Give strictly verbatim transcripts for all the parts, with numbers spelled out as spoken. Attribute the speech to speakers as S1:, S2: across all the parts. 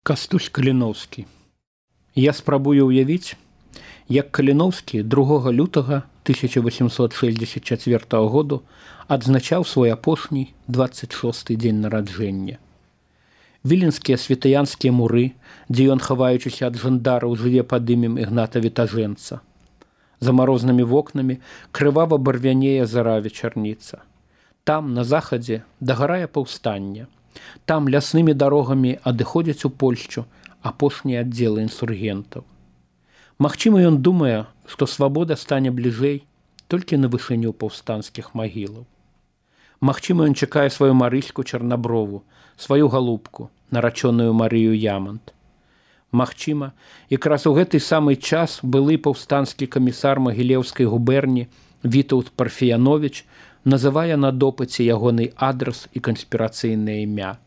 S1: Кастусь Каліноўскі. Я спрабую ўявіць, як Каліноўскі другога лютага тысяча восемьсот шестьдесят четвёртого году адзначаў свой апошні двадцать шосты дзень нараджэння. Віленскія святаянскія муры, дзе ён, хаваючыся ад жандараў, жыве пад імем Ігната Вітажэнца. За марознымі вокнамі крывава барвянее зара вечарніца. Там, на захадзе, дагарае паўстанне. Там ляснымі дарогамі адыходзяць у Польшчу апошнія аддзелы інсургентаў. Магчыма, ён думае, што свабода стане бліжэй толькі на вышыню паўстанцкіх магілаў. Магчыма, ён чакае сваю Марыську Чарнаброву, сваю галубку, нарачоную Марыю Ямант. Магчыма, якраз у гэты самы час былы паўстанскі камісар Магілеўскай губерні Вітаўт Парфіяновіч называе на допыце ягоны адрас і канспірацыйнае імя.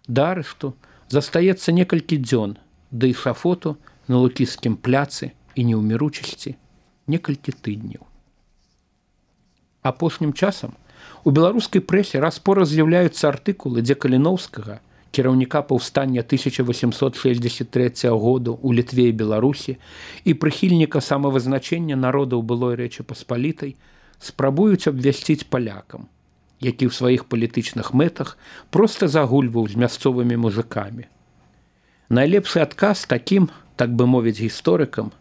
S1: Да арышту застаецца некалькі дзён, да і шафоту на Лукіскім пляцы і неўміручасці некалькі тыдняў. Апошнім часам у беларускай прэсе раз-пораз з'яўляюцца артыкулы, дзе Каліноўскага, кіраўніка паўстання тысяча восемьсот шестьдесят третьего году у Літве і Беларусі і прыхільніка самавызначэння народаў былой Рэчы Паспалітай, спрабуюць абвясціць палякам, які ў сваіх палітычных мэтах проста загульваў з мясцовымі мужыкамі. Найлепшы адказ такім, так бы мовіць гісторыкам,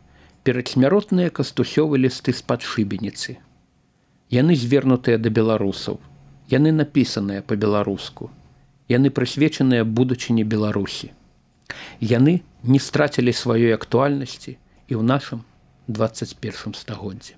S1: перадсмяротныя кастусёвы лісты з-пад шыбеніцы. Яны звернутыя да беларусаў, яны напісаныя па-беларуску, яны прысвечаныя будучыні Беларусі. Яны не страцілі сваёй актуальнасці і ў нашым двадцать першым стагоддзі.